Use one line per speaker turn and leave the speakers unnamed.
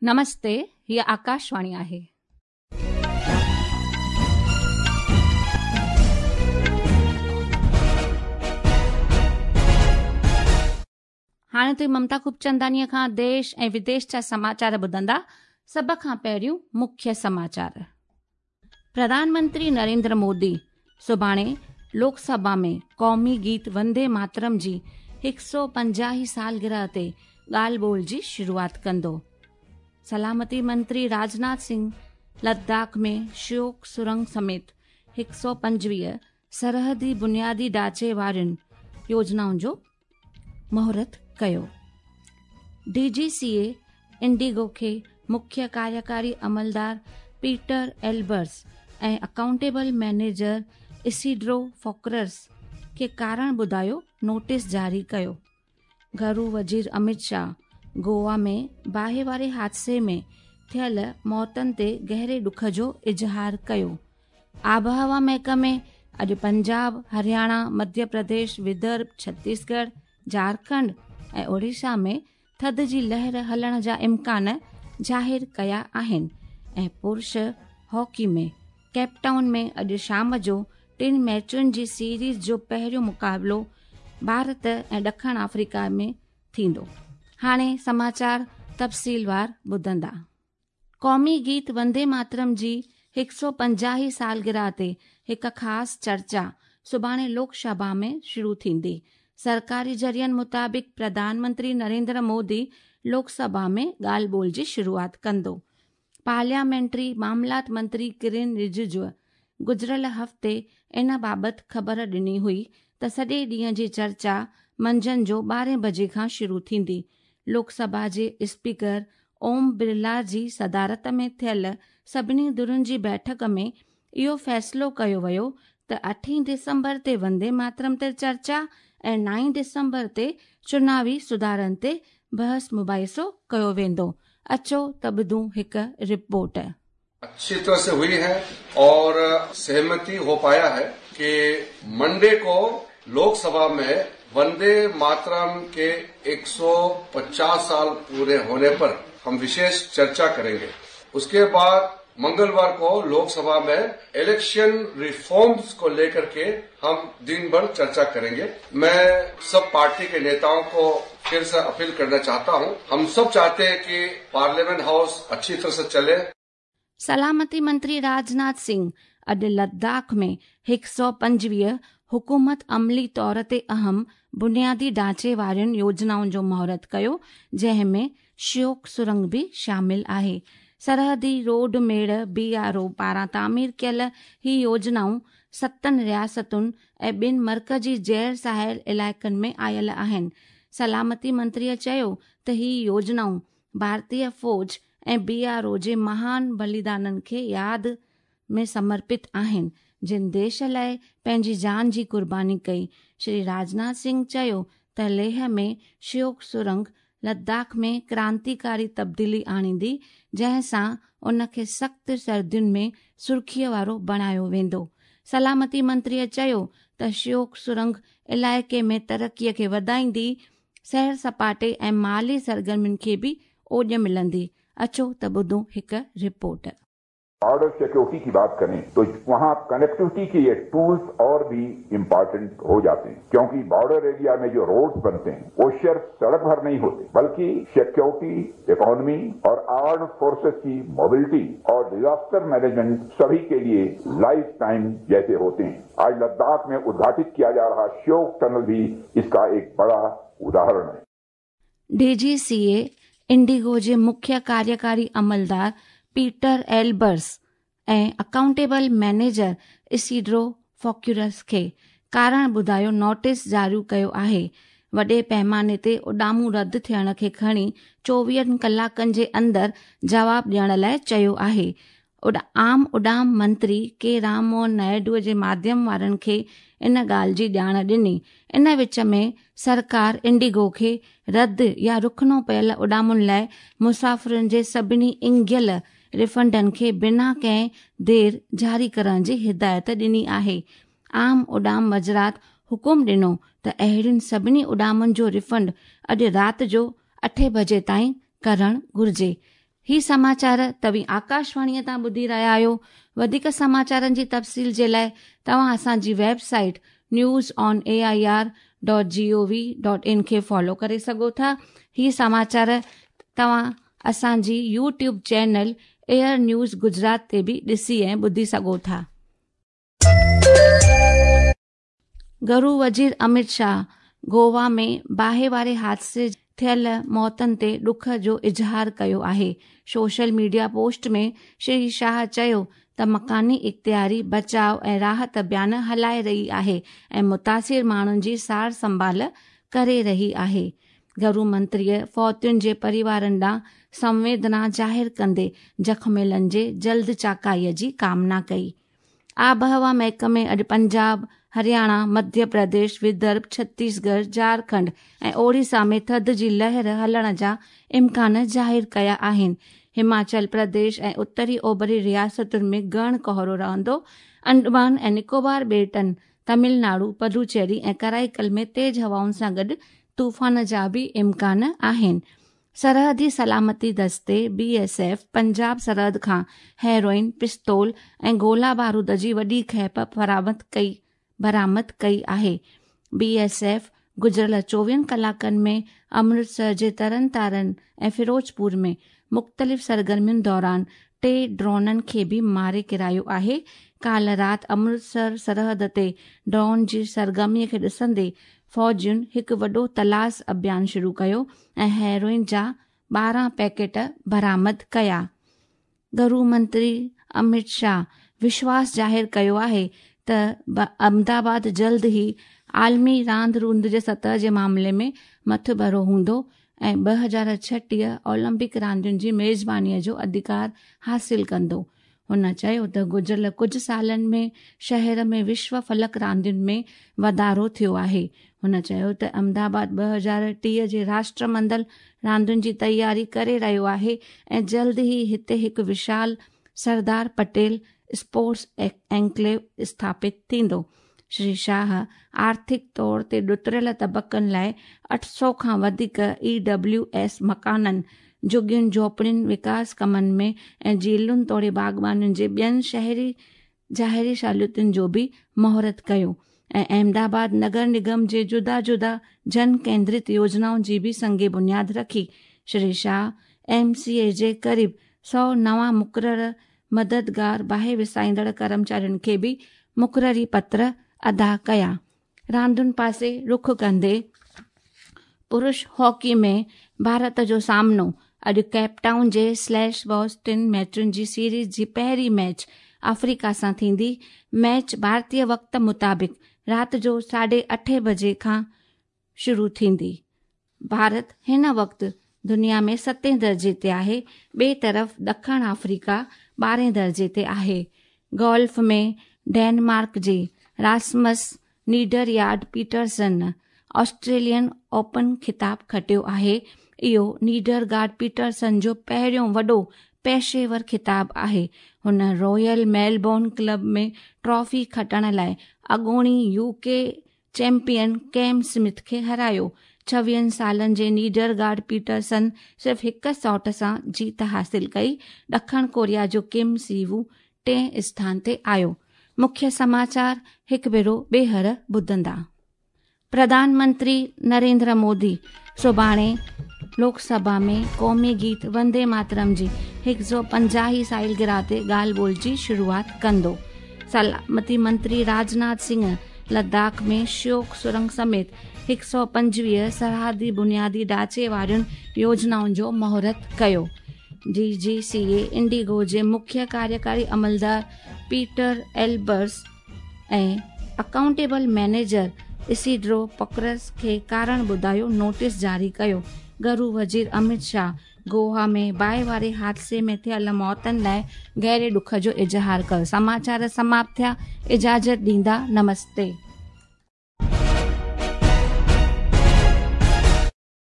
نمستي، هيء آڪاشواڻي آهي. هاڻي توهين ممتا خوبچنداڻيء کان ديش ۽ وديش جا سماچار ٻڌندا. سڀ کان پهريون مکيه سماچار. پرڌان منتري نريندر مودي سڀاڻي لوڪ سڀا ۾ قومي گيت وندي ماترم جي هڪ سؤ پنجاهه هين سالگرهه تي ڳالهه ٻولهه جي شروعات ڪندو. سلامتي منتري راجناٿ سنگهه لداخ ۾ شيوڪ سرنگ سميت هڪ سؤ 25 سرحدي بنيادي ڍانچي وارين يوجنائن جو مهورت ڪيو. ڊي جي سي اي انڊيگو کي مکيه ڪاريڪاري عملدار Peter Elbers ۽ accountable manager Isidro Figueras کي ڪارڻ ٻڌايو نوٽيس جاري ڪيو. گهرو وزير امت شاهه گوا ۾ باهه واري حادثي ۾ ٿيل موتن تي گهري ڏک جو اظهار ڪيو. آبهوا محڪمي اڄ پنجاب، هرياڻا، مڌيه پرديش، ودرڀ، ڇتيسڳڙهه، جهارکنڊ ۽ اوڙيشا ۾ ٿڌ جي لهر هلڻ جا امڪان ظاهر ڪيا آهن ۽ پرش هاڪي ۾ ڪيپ ٽائون ۾ اڄ شام جو ٽن ميچن جي سيريز جو پهريون مقابلو ڀارت ۽ ڏکڻ آفريڪا ۾ ٿيندو. هاڻي سماچار تفصيلوار ٻڌندا. قومي گيت وندي ماترم جي هڪ سؤ پنجاهه هين سالگرهه تي هڪ خاص چرچا سڀاڻي لوڪ سڀا ۾ شروع ٿيندي. سرڪاري ذريعن مطابق پرڌان منتري نريندر مودي لوڪ سڀا ۾ ڳالهه ٻولهه جي شروعات ڪندو. پارليامينٽري معاملات منتري ڪرين رججو گذريل هفتي ان بابت خبر ڏني هئي ته سڄي ڏينهن جي چرچا منجهند جو ٻارهين بجي کان شروع ٿيندي. لوڪ سڀا جي اسپيڪر اوم برلا جي صدارت ۾ ٿيل سڀني ڌرين جي بيٺڪ ۾ اهو فيصلو ڪيو ويو ته اٺين ڊسمبر تي وندي ماترم تي چرچا ۽ نائين ڊسمبر تي چناوي سڌارن تي بحث مباحثو ڪيو ويندو. اچو ته ٻڌون هڪ رپورٽ.
اڇي طرح سي هئي هي اور سهمتي هو پايا هي ڪي منڊي ڪو لوڪ سڀا مين وندي ماترم ڪي 150 سال پوري هوني پر هم وشيش چرچا ڪرينگي اس ڪي بعد منگلوار ڪو لوڪ سڀا مين اليڪشن ريفارمز ڪو ليڪر ڪي هم دن ڀر چرچا ڪرينگي مين سب پارٽي ڪي نيتائون ڪو ڦر سي اپيل ڪرنا چاهتا هون هم سب چاهتي هي ڪي پارليامينٽ هائوس اڇي طرح سي چلي.
سلامتي منتري راجناٿ سنگهه اڄ لداخ ۾ هڪ سؤ 25 حڪومت عملي طور تي اهم بنيادي ڍانچي وارين يوجنائن جو مهورت ڪيو، جنهن ۾ شيوڪ سرنگ به شامل آهي. سرحدي روڊ ميڙ، بي آر او، پاران تعمير ڪيل هي يوجنائون ستن رياستن ۽ ٻن مرڪزي زير ساحل علائقن ۾ آيل آهن. سلامتي منتري چيو ته هي يوجنائون ڀارتي فوج ۽ بي آر او جي مهان بليدانن کي ياد ۾ سمرپت آهن، جن ديش لاء پنهنجي جان جي قرباني ڪئي. شري راجناٿ سنگهه چيو ته ليهه ۾ شيوڪ سرنگ لداخ ۾ ڪرانتيڪاري تبديلي آڻيندي، جنهن سان ان کي سخت سردين ۾ سرخيء وارو بڻايو ويندو. سلامتي منتريء چيو ته شيوڪ سرنگ علائقي ۾ ترقي کي وڌائيندي، سير سپاٽي ۽ مالي سرگرمين کي به اوڄ ملندي، اچو ته ٻڌون هڪ رپورٽ.
بارڊر سيڪيورٽي ڪي بات ڪرين تو وهان ڪنيڪٽوٽي ڪي يي ٽولز اور ڀي امپارٽنٽ هو جاتي هين ڪيونڪي بارڊر ايريا مين جو روڊز بنتي هين وو صرف سڙڪ ڀر نهين هوتي بلڪه سيڪيورٽي، اڪانومي اور آرمڊ فورسز ڪي موبلٽي اور ڊزاسٽر مينيجمينٽ سڀي ڪي ليي لائف ٽائم جيسي هوتي هين. آج لداخ مين ادگهاٽت ڪيا جا رها شيوڪ ٽنل ڀي اس ڪا ايڪ بڙا اداهرڻ هي.
ڊي جي سي اي انڊيگو جي مکيه ڪاريڪاري عملدار Peter Elbers ۽ accountable manager Isidro Figueras کي ڪارڻ ٻڌايو نوٽيس جاري ڪيو آهي. وڏي پئماني تي اڏامون رد ٿيڻ کي کڻي چوويهن ڪلاڪن جي اندر جواب ڏيڻ لاء چيو آهي. عام اڏام منتري ڪي رام موهن نائيڊو جي ماڌيم وارن کي ان ڳالهه جي ڄاڻ ڏني. ان وچ ۾ سرڪار انڊيگو کي رد يا رخنو پيل اڏامن لاء مسافرن جي سڀني اينگهيل ريفنڊن کي بنا ڪنهن دير جاري ڪرڻ جي هدايت ڏني آهي. عام اڏام وزارت حڪم ڏنو ته اهڙين سڀني اڏامن جو ريفنڊ اڄ رات جو اٺين بجي تائين ڪرڻ گهرجي. هي سماچار توهين آڪاشواڻيء تان ٻڌي رهيا آهيو. وڌيڪ سماچارن جي تفصيل جي لاء توهان اسان جي website news on A I R dot G O V dot in کي فالو ڪري سگهو ٿا. هي سماچار توهان اسان جي YouTube channel AIR news Gujarat تي به ڏسي ۽ ٻڌي سگهو ٿا. گهرو وزير امت شاهه گووا ۾ باهه واري حادثي ٿيل موتن تي ڏک جو اظهار ڪيو آهي. Social media post ۾ Shri Shah چيو ته مڪاني اختياري بچاء ۽ راحت اڀيان هلائي رهي آهي ۽ متاثر ماڻهن جي سار سنڀال ڪري رهي آهي. گهرو منتريء فوتين جي پريوارن ڏانهن سنويدنا ظاهر ڪندي زخميلن جي جلد چاڪائي جي ڪامنا ڪئي. آبهوا محڪمي اڄ پنجاب، هرياڻا، مڌيه پرديش، ودرڀ، ڇتيسڳڙهه، جهارکنڊ ۽ اوڙيسا ۾ ٿڌ جي لهر هلڻ جا امڪان ظاهر ڪيا آهن. هماچل پرديش ۽ اتري اوڀري رياستن ۾ گهڻ ڪوهرو رهندو. انڊمان ۽ نڪوبار ٻيٽن، تمل ناڊو، پدوچيري ۽ ڪرائيڪل ۾ تيز هوائن سان گڏ طوفان جا به امڪان آهن. سرحدي سلامتي دستي، بي ايس ايف، پنجاب سرحد کان هيروئن، پستول ۽ گولا بارود جي وڏي کيپ ڪئي برآمد ڪئي آهي. بي ايس ايف گذريل چوويهن ڪلاڪن ۾ امرتسر جي ترن تارن ۽ فيروزپور ۾ مختلف سرگرمين دوران ٽي ڊرونن کي به ماري ڪيرايو آهي. ڪالهه رات امرتسر سرحد تي ڊرون جي سرگرمي کي ڏسندي فوجين هڪ وڏو تلاش اڀيان شروع ڪيو ۽ هيروئن جا 12 پيڪيٽ برآمد ڪيا. گهرو منتري امت شاهه وشواس ظاهر ڪيو آهي ته احمدآباد جلد ئي عالمي راند روند جي سطح جي معاملي ۾ مٿڀرو هوندو ۽ 2036 اولمپڪ راندين جي ميزباني جو اڌڪار حاصل ڪندو. هن چيو ته گذريل ڪجهه سالن ۾ شهر ۾ وشو فلڪ راندين ۾ واڌارو ٿيو آهي. هن چيو ته احمدآباد 2030 جي راشٽر منڊل راندين جي تياري ڪري رهيو آهي ۽ جلد ئي هتي هڪ وشال سردار پٽيل اسپورٽس اينڪليو اسٿاپت ٿيندو. شري شاهه آرٿڪ طور تي ڏتڙيل طبقن لاء 800 کان وڌيڪ اي ڊبليو ايس مڪانن، جهڳين جهوپڙين وڪاس ڪمن ۾ ۽ جيلن توڙي باغبانين جي ٻين شهري ظاهري سهولتن جو به مهورت ڪيو ۽ احمدآباد نگر نگم جي جدا جدا جن ڪيندرت يوجنائن جي به سنگ بنياد رکي. شري شاهه ايم سي اي جي قريب 100 نوان مقرر مددگار باهه وسائيندڙ ڪرمچارين کي به مقرري پتر ادا ڪيا. راندن پاسي رخ ڪندي پرش هاڪي ۾ ڀارت جو سامنو اڄ ڪيپ ٽائون جي سليش باس ٽن ميچن جي سيريز جي پهرين ميچ آفريڪا سان ٿيندي. ميچ ڀارتي وقت مطابق رات جو ساڍي اٺين بجي کان شروع ٿيندي. ڀارت هن وقت دنيا ۾ ستين درجي تي آهي، ٻئي طرف ڏکڻ آفريڪا ٻارهين درجي تي آهي. گولف ۾ ڊينمارڪ جي راسمس نيڊريارڊ پيٽرسن آسٽريلين اوپن خطاب کٽيو آهي. اهو نيڊرگارڊ پيٽرسن جو پهريون وڏو پيشيور خطاب آهي. هن رائل ميلبورن ڪلب ۾ ٽرافي کٽڻ لاء اڳوڻي يو ڪي چيمپيئن ڪيم سمٿ کي هارايو. 26 سالن جي نيڊرگارڊ پيٽرسن صرف هڪ شاٽ سان جيت حاصل ڪئي. ڏکڻ ڪوريا جو ڪم سي وو ٽئين اسٿان تي آيو. مکيه سماچار هڪ ڀيرو ٻيهر ٻڌندا. پرڌان منتري نريندر مودي سڀاڻي لوڪ سڀا ۾ قومي گيت وندي ماترم جي 150 سالگرهه تي ڳالهه ٻولهه جي شروعات ڪندو. سلامتي منتري راجناٿ سنگهه لداخ ۾ شيوڪ سرنگ سميت 125 سرحدي بنيادي ڍانچي وارين يوجنائن جو مهورت ڪيو. ڊي جي سي اي انڊيگو جي مکيه ڪاريڪاري عملدار Peter Elbers ۽ accountable manager Isidro پڪرس کي ڪارڻ ٻڌايو نوٽيس جاري ڪيو. گهرو وزير امت شاهه گووا ۾ باهه واري حادثي ۾ ٿيل موتن لاء گهري ڏک جو اظهار ڪيو. سماچار سماپت ٿيا. اجازت ڏيندا. نمستي.